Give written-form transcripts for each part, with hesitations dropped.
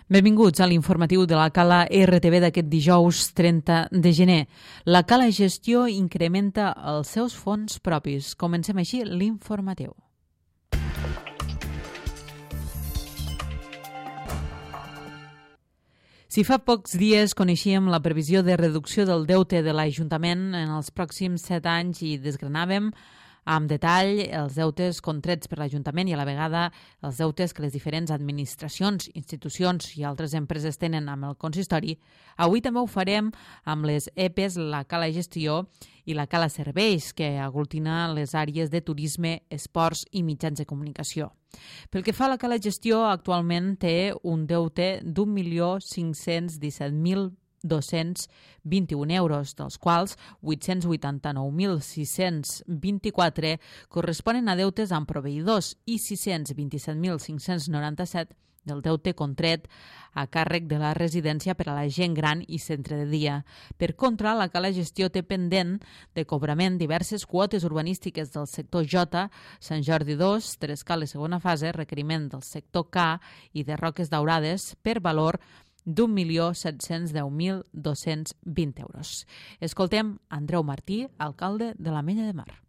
Benvinguts a l'informatiu de la Cala RTV d'aquest dijous 30 de gener. La Cala Gestió incrementa els seus fons propis. Comencem així l'informatiu. Si fa pocs dies coneixíem la previsió de reducció del deute de l'Ajuntament en els pròxims 7 anys i desgranàvem amb detall els deutes contrets per l'Ajuntament i a la vegada els deutes que les diferents administracions, institucions i altres empreses tenen amb el consistori, avui també ho farem amb les EPEs, la Cala Gestió i la Cala Serveis, que aglutina les àrees de turisme, esports i mitjans de comunicació. Pel que fa a la Cala Gestió, actualment té un deute d'1.517.221 euros, dels quals 889.624 corresponen a deutes amb proveïdors i 627.597 del deute contret a càrrec de la residència per a la gent gran i centre de dia. Per contra, la Cala Gestió té pendent de cobrament diverses quotes urbanístiques del sector J, Sant Jordi 2, Trescales segona fase, requeriment del sector K i de Roques Daurades per valor d'1.710.220 euros. Escoltem Andreu Martí, alcalde de l'Ametlla de Mar.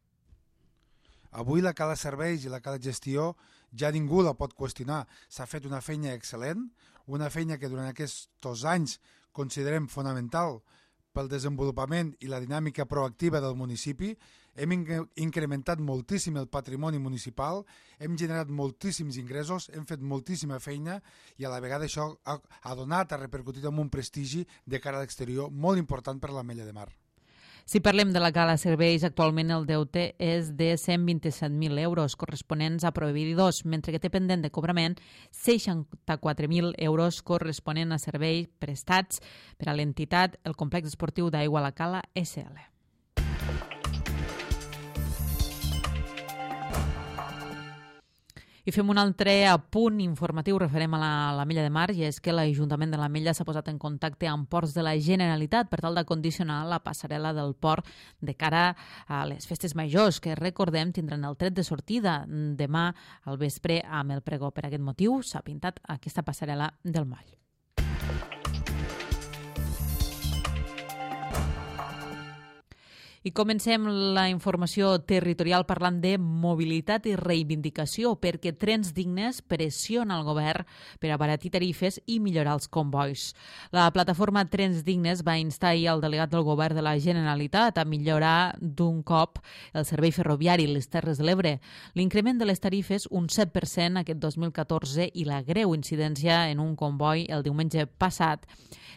Avui la Cala Serveis i la Cala Gestió ja ningú la pot qüestionar. S'ha fet una feina excel·lent, una feina que durant aquests 2 anys considerem fonamental pel desenvolupament i la dinàmica proactiva del municipi. Hem incrementat moltíssim el patrimoni municipal, hem generat moltíssims ingressos, hem fet moltíssima feina i a la vegada això ha donat, ha repercutit en un prestigi de cara a l'exterior molt important per l'Ametlla de Mar. Si parlem de la Cala Serveis, actualment el deute és de 127.000 euros corresponents a proveïdors, mentre que té pendent de cobrament 64.000 euros corresponent a serveis prestats per a l'entitat el Complex Esportiu d'Aigua La Cala SL. I fem un altre apunt informatiu referent a l'Ametlla de Mar, i és que l'Ajuntament de l'Ametlla s'ha posat en contacte amb ports de la Generalitat per tal de condicionar la passarel·la del port de cara a les festes majors, que recordem tindran el tret de sortida demà al vespre amb el pregó. Per aquest motiu s'ha pintat aquesta passarel·la del moll. I comencem la informació territorial parlant de mobilitat i reivindicació, perquè Trens Dignes pressiona el govern per abaratir tarifes i millorar els convois. La plataforma Trens Dignes va instar ahir al delegat del govern de la Generalitat a millorar d'un cop el servei ferroviari a les Terres de l'Ebre. L'increment de les tarifes, un 7% aquest 2014, i la greu incidència en un comboi el diumenge passat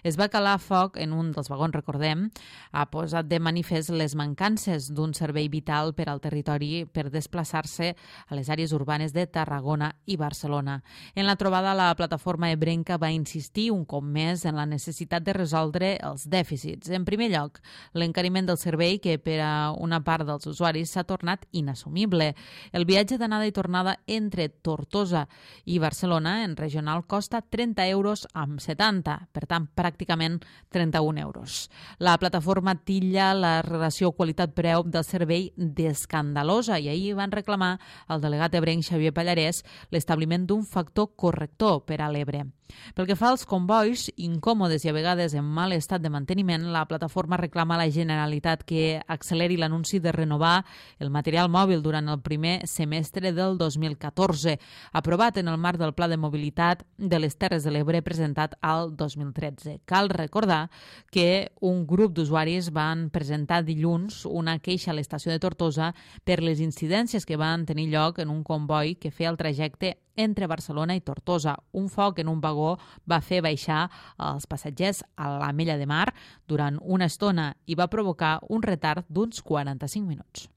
es va calar foc en un dels vagons, recordem, ha posat de manifest les mancances d'un servei vital per al territori per desplaçar-se a les àrees urbanes de Tarragona i Barcelona. En la trobada, la plataforma ebrenca va insistir un cop més en la necessitat de resoldre els dèficits. En primer lloc, l'encariment del servei, que per a una part dels usuaris s'ha tornat inassumible. El viatge d'anada i tornada entre Tortosa i Barcelona en regional costa 30 euros amb 70, per tant, pràcticament 31 euros. La plataforma titlla la relació qualitat-preu del servei d'escandalosa i ahir van reclamar al delegat ebrenc Xavier Pallarès l'establiment d'un factor corrector per a l'Ebre. Pel que fa als convois, incòmodes i a vegades en mal estat de manteniment, la plataforma reclama a la Generalitat que acceleri l'anunci de renovar el material mòbil durant el primer semestre del 2014, aprovat en el marc del Pla de Mobilitat de les Terres de l'Ebre presentat al 2013. Cal recordar que un grup d'usuaris van presentar dilluns una queixa a l'estació de Tortosa per les incidències que van tenir lloc en un comboi que feia el trajecte entre Barcelona i Tortosa. Un foc en un vagó va fer baixar els passatgers a l'Ametlla de Mar durant una estona i va provocar un retard d'uns 45 minuts.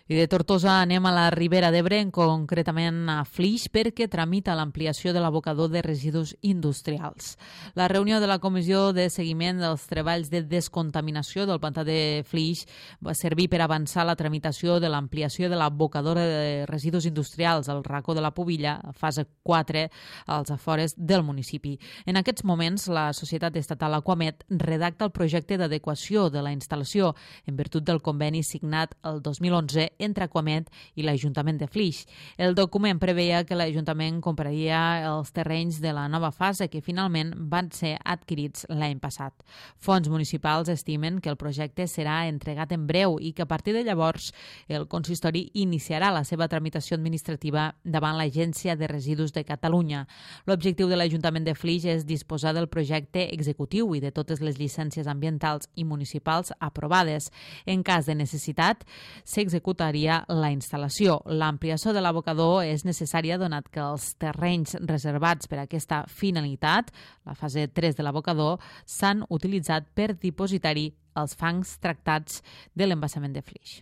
I de Tortosa anem a la Ribera d'Ebre, concretament a Flix, perquè tramita l'ampliació de l'abocador de residus industrials. La reunió de la Comissió de Seguiment dels Treballs de Descontaminació del pantà de Flix va servir per avançar la tramitació de l'ampliació de l'abocador de residus industrials al racó de la Pobilla, fase 4, als afores del municipi. En aquests moments, la societat estatal Aquamet redacta el projecte d'adequació de la instal·lació en virtut del conveni signat el 2011 entre Aquamed i l'Ajuntament de Flix. El document preveia que l'Ajuntament compraria els terrenys de la nova fase que finalment van ser adquirits l'any passat. Fons municipals estimen que el projecte serà entregat en breu i que a partir de llavors el consistori iniciarà la seva tramitació administrativa davant l'Agència de Residus de Catalunya. L'objectiu de l'Ajuntament de Flix és disposar del projecte executiu i de totes les llicències ambientals i municipals aprovades. En cas de necessitat, s'executaria la instal·lació. L'ampliació de l'abocador és necessària donat que els terrenys reservats per a aquesta finalitat, la fase 3 de l'abocador, s'han utilitzat per dipositar-hi els fangs tractats de l'embassament de Flix.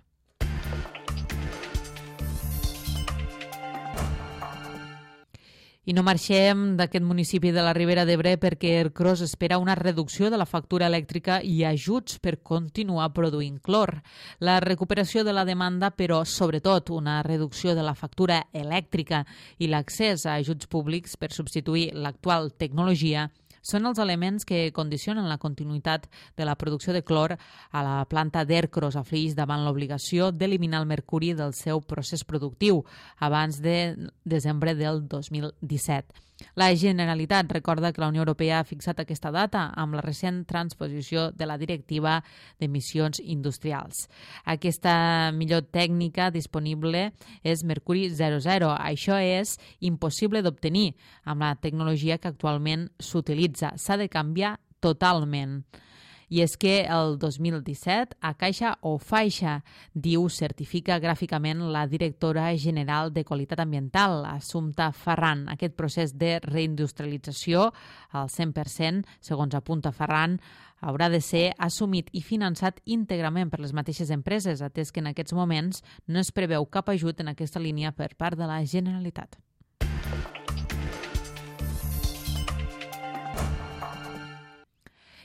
I no marxem d'aquest municipi de la Ribera d'Ebre perquè Ercros espera una reducció de la factura elèctrica i ajuts per continuar produint clor. La recuperació de la demanda, però sobretot una reducció de la factura elèctrica i l'accés a ajuts públics per substituir l'actual tecnologia són els elements que condicionen la continuïtat de la producció de clor a la planta d'Ercros a Flix davant l'obligació d'eliminar el mercuri del seu procés productiu abans de desembre del 2017. La Generalitat recorda que la Unió Europea ha fixat aquesta data amb la recent transposició de la Directiva d'Emissions Industrials. Aquesta millor tècnica disponible és Mercuri 00. Això és impossible d'obtenir amb la tecnologia que actualment s'utilitza. S'ha de canviar totalment. I és que el 2017 a Caixa o Faixa, diu, certifica gràficament la directora general de Qualitat Ambiental, Assumpta Ferran. Aquest procés de reindustrialització al 100%, segons apunta Ferran, haurà de ser assumit i finançat íntegrament per les mateixes empreses, atès que en aquests moments no es preveu cap ajut en aquesta línia per part de la Generalitat.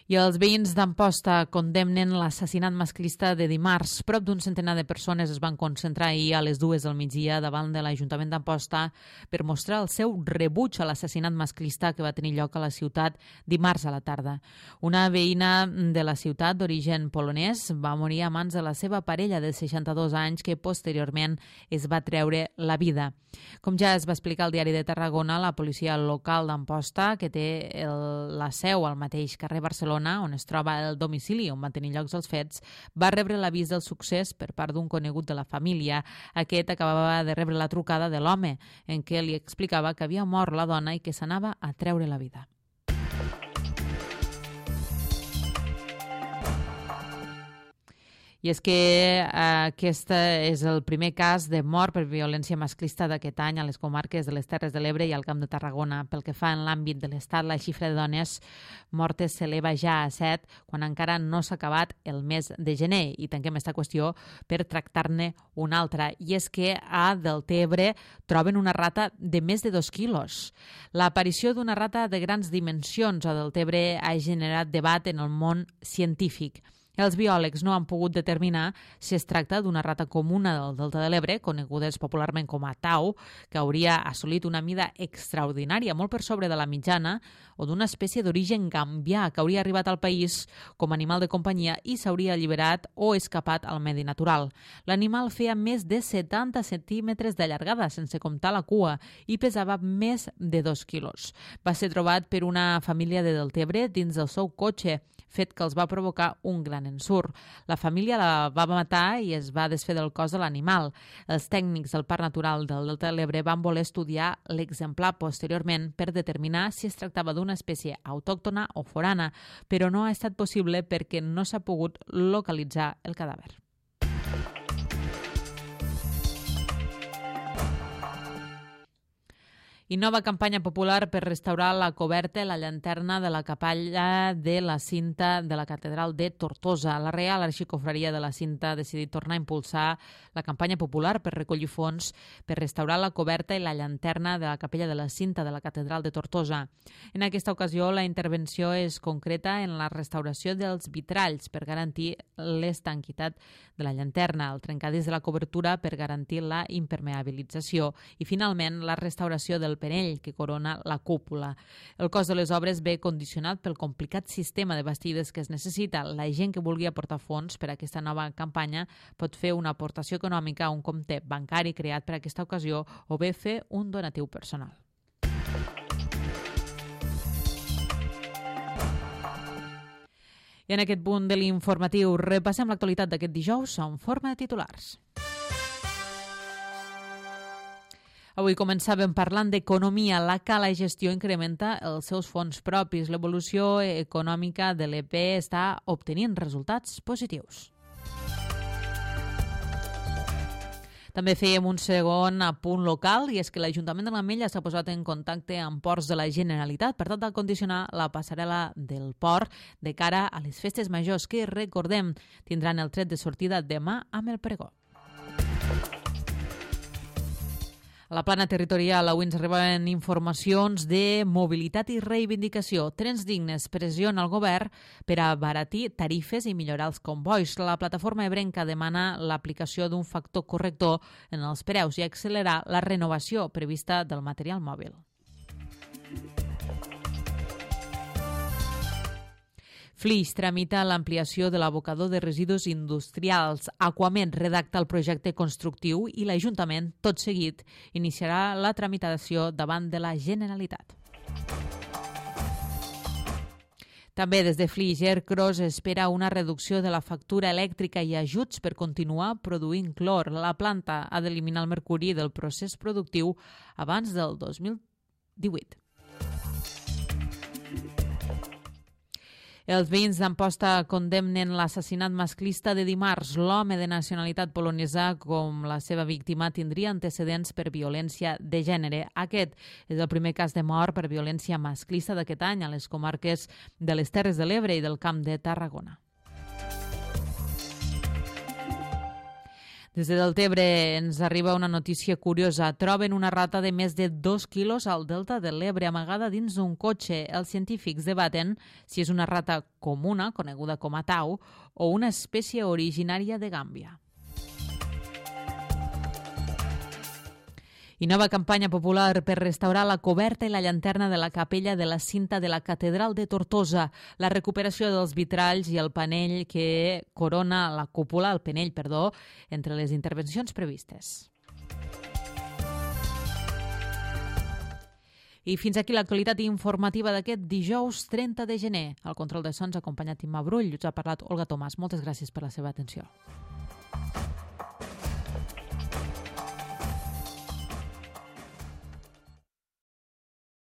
I els veïns d'Amposta condemnen l'assassinat masclista de dimarts. Prop d'un centenar de persones es van concentrar ahir a les 2 del migdia davant de l'Ajuntament d'Amposta per mostrar el seu rebuig a l'assassinat masclista que va tenir lloc a la ciutat dimarts a la tarda. Una veïna de la ciutat d'origen polonès va morir a mans de la seva parella de 62 anys que posteriorment es va treure la vida. Com ja es va explicar al Diari de Tarragona, la policia local d'Amposta, que té la seu al mateix carrer Barcelona, on es troba el domicili on van tenir llocs els fets, va rebre l'avís del succés per part d'un conegut de la família. Aquest acabava de rebre la trucada de l'home, en què li explicava que havia mort la dona i que s'anava a treure la vida. I és que aquest és el primer cas de mort per violència masclista d'aquest any a les comarques de les Terres de l'Ebre i al Camp de Tarragona. Pel que fa en l'àmbit de l'Estat, la xifra de dones mortes s'eleva ja a 7, quan encara no s'ha acabat el mes de gener. I tanquem aquesta qüestió per tractar-ne una altra. I és que a Deltebre troben una rata de més de 2 quilos. L'aparició d'una rata de grans dimensions a Deltebre ha generat debat en el món científic. Els biòlegs no han pogut determinar si es tracta d'una rata comuna del Delta de l'Ebre, conegudes popularment com a tau, que hauria assolit una mida extraordinària, molt per sobre de la mitjana, o d'una espècie d'origen gambià que hauria arribat al país com a animal de companyia i s'hauria alliberat o escapat al medi natural. L'animal feia més de 70 centímetres de llargada, sense comptar la cua, i pesava més de 2 quilos. Va ser trobat per una família de Deltebre dins del seu cotxe, fet que els va provocar un gran ensurt. La família la va matar i es va desfer del cos de l'animal. Els tècnics del Parc Natural del Delta de l'Ebre van voler estudiar l'exemplar posteriorment per determinar si es tractava d'una espècie autòctona o forana, però no ha estat possible perquè no s'ha pogut localitzar el cadàver. I nova campanya popular per restaurar la coberta i la llanterna de la capella de la Cinta de la Catedral de Tortosa. La Reial Arxicofreria de la Cinta ha decidit tornar a impulsar la campanya popular per recollir fons per restaurar la coberta i la llanterna de la capella de la Cinta de la Catedral de Tortosa. En aquesta ocasió, la intervenció és concreta en la restauració dels vitralls per garantir l'estanquitat de la llanterna, el trencadís de la cobertura per garantir la impermeabilització i, finalment, la restauració del del penell que corona la cúpula. El cost de les obres ve condicionat pel complicat sistema de bastides que es necessita. La gent que vulgui aportar fons per a aquesta nova campanya pot fer una aportació econòmica a un compte bancari creat per a aquesta ocasió o bé fer un donatiu personal. I en aquest punt de l'informatiu repassem l'actualitat d'aquest dijous en forma de titulars. Avui començàvem parlant d'economia. La Cala Gestió incrementa els seus fons propis. L'evolució econòmica de l'EP està obtenint resultats positius. També fèiem un segon apunt local i és que l'Ajuntament de l'Ametlla s'ha posat en contacte amb ports de la Generalitat per tal de condicionar la passarel·la del port de cara a les festes majors que, recordem, tindran el tret de sortida demà amb el pregó. A la plana territorial avui ens arriben informacions de mobilitat i reivindicació. Trens dignes pressiona el govern per a abaratir tarifes i millorar els combois. La plataforma ebrenca demana l'aplicació d'un factor corrector en els preus i accelerar la renovació prevista del material mòbil. Flix tramita l'ampliació de l'abocador de residus industrials. Aquamed redacta el projecte constructiu i l'Ajuntament, tot seguit, iniciarà la tramitació davant de la Generalitat. També des de Flix, Ercros espera una reducció de la factura elèctrica i ajuts per continuar produint clor. La planta ha d'eliminar el mercuri del procés productiu abans del 2018. Els veïns d'Amposta condemnen l'assassinat masclista de dimarts. L'home de nacionalitat polonesa, com la seva víctima, tindria antecedents per violència de gènere. Aquest és el primer cas de mort per violència masclista d'aquest any a les comarques de les Terres de l'Ebre i del Camp de Tarragona. Des de Deltebre ens arriba una notícia curiosa. Troben una rata de més de 2 quilos al delta de l'Ebre amagada dins d'un cotxe. Els científics debaten si és una rata comuna, coneguda com a tau, o una espècie originària de Gàmbia. I nova campanya popular per restaurar la coberta i la llanterna de la capella de la cinta de la Catedral de Tortosa, la recuperació dels vitralls i el panell que corona la cúpula, el penell, entre les intervencions previstes. I fins aquí l'actualitat informativa d'aquest dijous 30 de gener. Al control de sons, acompanyat Imma Brull, us ha parlat Olga Tomàs. Moltes gràcies per la seva atenció.